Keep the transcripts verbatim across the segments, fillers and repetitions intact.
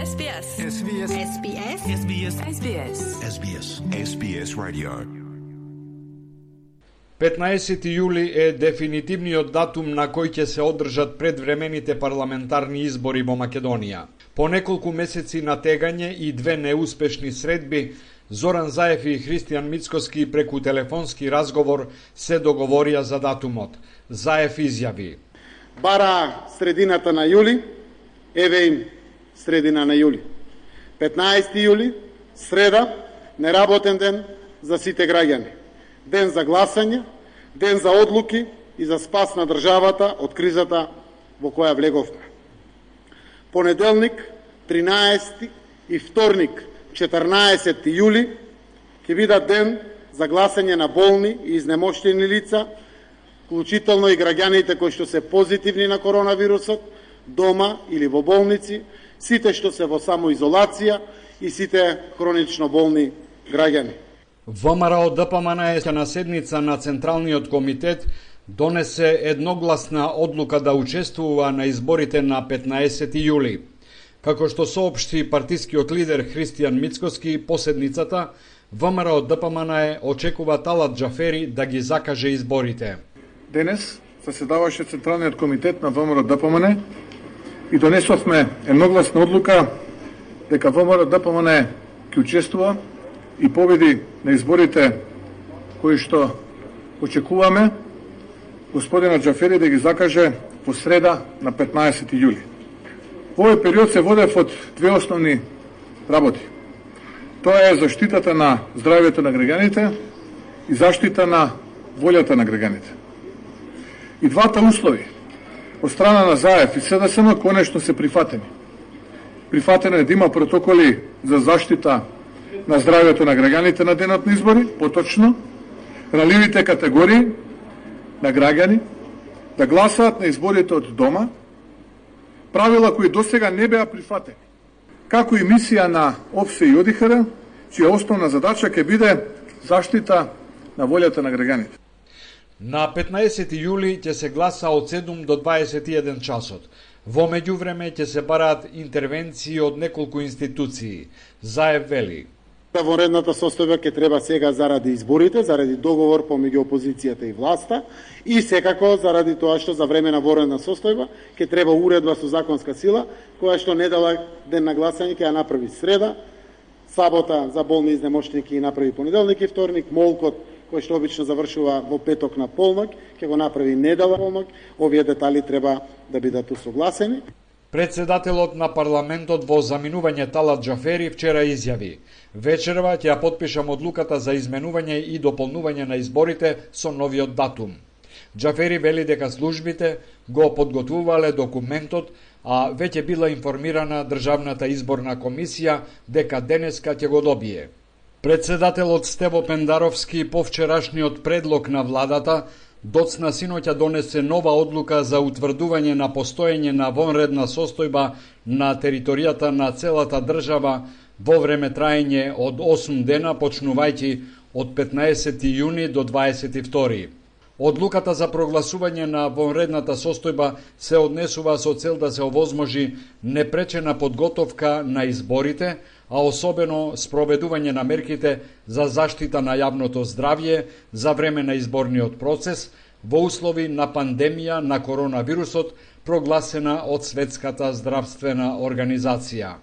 S B S. S B S. S B S. S B S. S B S. S B S. S B S Radio. петнаесети јули е дефинитивниот датум на кој ќе се одржат предвремените парламентарни избори во Македонија. По неколку месеци натегање и две неуспешни средби, Зоран Заев и Христијан Мицкоски преку телефонски разговор се договорија за датумот. Заев изјави: Бара средината на јули, еве им средина на јули. петнаесети јули, среда, неработен ден за сите граѓани. Ден за гласање, ден за одлуки и за спас на државата од кризата во која влеговме. Понеделник, тринаесети и вторник, четрнаесети јули, ќе бидат ден за гласање на болни и изнемоштени лица, вклучително и граѓаните кои што се позитивни на коронавирусот, дома или во болници, сите што се во самоизолација и сите хронично болни граѓани. ВМРО ДПМН е на седница на Централниот комитет донесе едногласна одлука да учествува на изборите на петнаесети јули. Како што соопшти партискиот лидер Христијан Мицкоски по седницата, ВМРО ДПМН очекува Талат Џафери да ги закаже изборите. Денес заседаваше Централниот комитет на ВМРО ДПМН и донесовме едногласна одлука дека ВМРО ДПМН ќе учествува и победи на изборите кои што очекуваме господина Џафери да ги закаже во среда на петнаесети јули. Во овој период се водев од две основни работи. Тоа е заштитата на здравјето на граѓаните и заштита на волјата на граѓаните. И двата услови од страна на Заев и СДСМ конечно се прифатени. Прифатено е да има протоколи за заштита на здравјето на граѓаните на денот на избори, поточно, раливите категории на граѓани да гласаат на изборите од дома, правила кои досега не беа прифатени, како и мисија на ОПСЕ и ОДИХР, чија основна задача ќе биде заштита на волјата на граѓаните. На петнаесети јули ќе се гласа од седум до дваесет и еден часот. Во меѓувреме ќе се бараат интервенции од неколку институции. Заев вели: Вонредната состојба ќе треба сега заради изборите, заради договор помеѓу опозицијата и власта и секако заради тоа што за време на вонредна состојба ќе треба уредба со законска сила која што недела ден на гласање ќе ја направи среда, сабота за болни изнемоштени ќе ја направи понеделник и вторник, молкот кој што обично завршува во петок на полнок ќе го направи недела полнок. Овие детали треба да бидат усогласени. Председателот на парламентот во заминување Талат Џафери вчера изјави: вечерва ќе ја потпишам одлуката за изменување и дополнување на изборите со новиот датум. Џафери вели дека службите го подготвувале документот, а веќе била информирана Државната изборна комисија дека денеска ќе го добие. Председателот Стево Пендаровски по вчерашниот предлог на владата доцна синоќа донесе нова одлука за утврдување на постоење на вонредна состојба на територијата на целата држава во време траење од осум дена, почнувајќи од петнаесети јуни до дваесет и втори. Одлуката за прогласување на вонредната состојба се однесува со цел да се овозможи непречена подготовка на изборите, а особено спроведување на мерките за заштита на јавното здравје за време на изборниот процес во услови на пандемија на коронавирусот прогласена од Светската здравствена организација.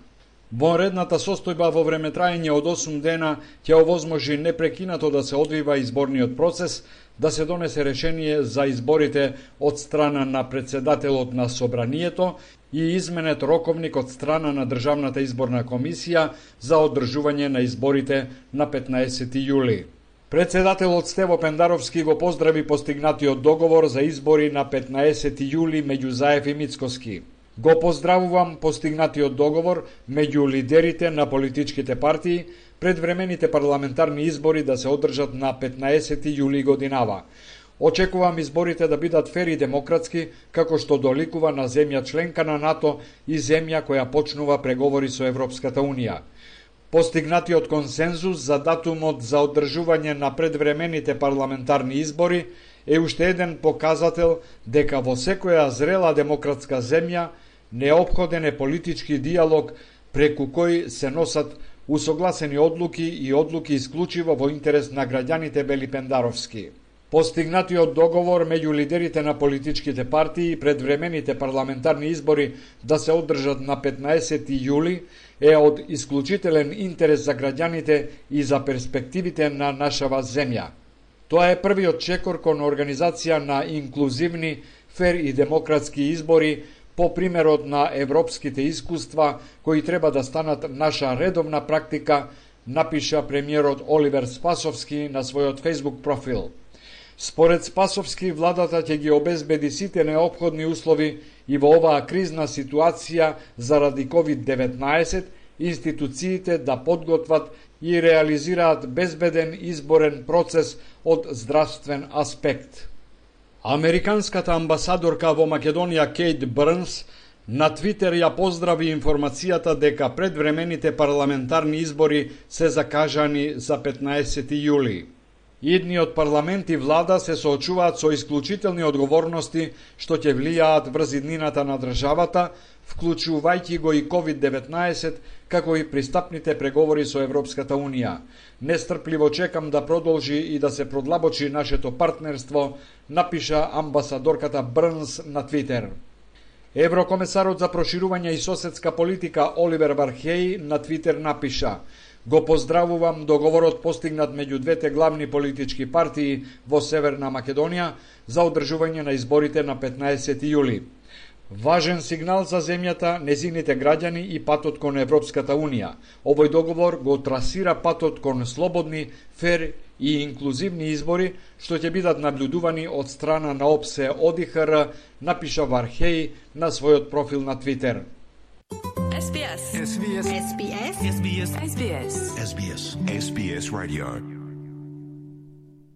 Вонредната состојба во време траење од осум дена ќе овозможи непрекинато да се одвива изборниот процес, да се донесе решение за изборите од страна на председателот на Собранието и изменет роковник од страна на Државната изборна комисија за одржување на изборите на петнаесети јули. Председателот Стево Пендаровски го поздрави постигнатиот договор за избори на петнаесети јули меѓу Заев и Мицкоски. Го поздравувам постигнатиот договор меѓу лидерите на политичките партии предвремените парламентарни избори да се одржат на петнаесети јули годинава. Очекувам изборите да бидат фер и демократски, како што доликува на земја членка на НАТО и земја која почнува преговори со Европската Унија. Постигнатиот консензус за датумот за одржување на предвремените парламентарни избори е уште еден показател дека во секоја зрела демократска земја неопходен е политички диалог преку кои се носат усогласени одлуки и одлуки исклучиво во интерес на граѓаните Белипендаровски. Постигнатиот договор меѓу лидерите на политичките партии и предвремените парламентарни избори да се одржат на петнаесети јули е од исклучителен интерес за граѓаните и за перспективите на нашава земја. Тоа е првиот чекор кон организација на инклузивни, фер и демократски избори по примерот на европските искуства кои треба да станат наша редовна практика, напиша премиерот Оливер Спасовски на својот Facebook профил. Според Спасовски, владата ќе ги обезбеди сите неопходни услови и во оваа кризна ситуација заради ковид деветнаесет институциите да подготват и реализираат безбеден изборен процес од здравствен аспект. Американската амбасадорка во Македонија Кейт Брнс на Твитер ја поздрави информацијата дека предвремените парламентарни избори се закажани за петнаесети јули. Идниот парламент и влада се соочуваат со исклучителни одговорности што ќе влијаат врз иднината на државата, вклучувајќи го и ковид деветнаесет, како и пристапните преговори со Европската Унија. Нестрпливо чекам да продолжи и да се продлабочи нашето партнерство, напиша амбасадорката Брнс на Твитер. Еврокомесарот за проширување и соседска политика Оливер Вархеј на Твитер напиша: Го поздравувам договорот постигнат меѓу двете главни политички партии во Северна Македонија за одржување на изборите на петнаесети јули. Важен сигнал за земјата, незините граѓани и патот кон Европската Унија. Овој договор го трасира патот кон слободни, фер и инклузивни избори, што ќе бидат наблюдувани од страна на ОПСЕ ОДИХР, напиша Вархеј на својот профил на Твитер. S B S. S B S. S B S. S B S. S B S. S B S Radio.